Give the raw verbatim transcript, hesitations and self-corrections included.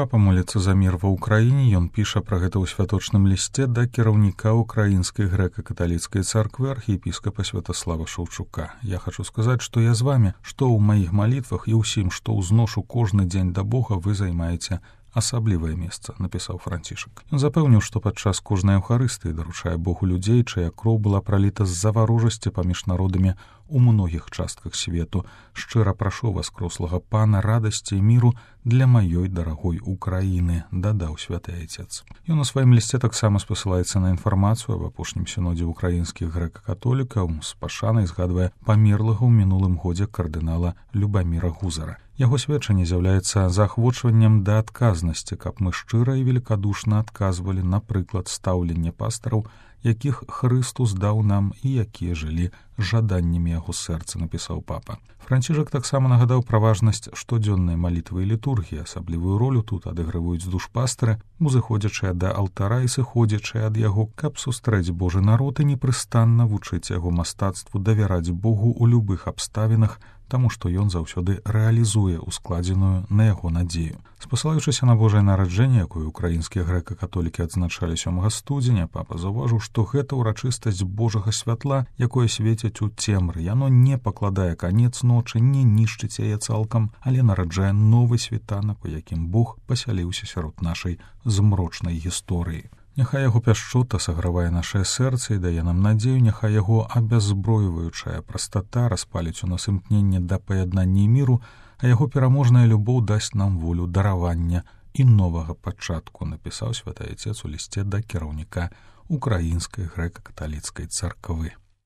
Папа моліцца за мір ва ўкраіне, ён піша пра гэта ў святочным лісце да кіраўніка ўкраінскай грэка-каталіцкай царквы архіепіскапа Святаслава Шаўчука. Я хачу сказаць, што я з вамі, што ў маіх малітвах і ўсім, што ўзношу кожны дзень да Бога, вы займаеце асаблівае месца, напісаў Францішак. Ён запэўніў, што падчас кожнай эўхарыстыі даручае Богу людзей, чыя кроў была праліта з-за варожасці паміж народамі у многіх частках свету. Шчыра прашу вас, крослага пана, радасці і міру для маёй дарагой Украіны, дадаў святы айцец. Ён у сваім лісце таксама спасылаецца на інфармацыю аб апошнім сінодзе ўкраінскіх грэка-католікаў, з пашанай згадвае памерлага ў мінулым годзе кардынала Любаміра Гузара. Яго сведчанне з'яўляецца заахвочваннем да адказнасці, каб мы шчыра і великадушна адказвалі на прыклад стаўлення пастараў, якіх Хрыстус даў нам і якія жылі жаданнямі яго сэрца, напісаў папа. Францішак таксама нагадаў пра важнасць штодзённай малітвы і літургіі. Асаблівую ролю тут адыгрываюць душпастары, узыходзячыя да алтара і сыходзячыя ад яго, каб сустрэць Божы народ і непрыстанна вучыць яго мастацтву давяраць Богу ў любых абставінах, таму што ён заўсёды рэалізуе ускладзеную на яго надзею. Спасылаючыся на Божае нараджэнне, якое ўкраінскія грэка-католікі адзначалі сёмага студзеня, папа заўважыў, што гэта ўрачыстасць Божага святла, якое свеціць у цемры. Яно не пакладае канец ночы, не нішчыць яе цалкам, але нараджае новы світанак, у якім Бог пасяліўся сярод нашай змрочнай гісторыі. Няхай яго пяшчота сагравае нашае сэрца і дае нам надзею, няхай яго абяззброіваючая прастата распаліць у нас імкненне да паяднання і міру, а яго пераможная любоў дасць нам волю даравання і новага пачатку, напісаў святы айцец у лісце да кіраўніка ўкраінскай грэка-каталіцкай царквы.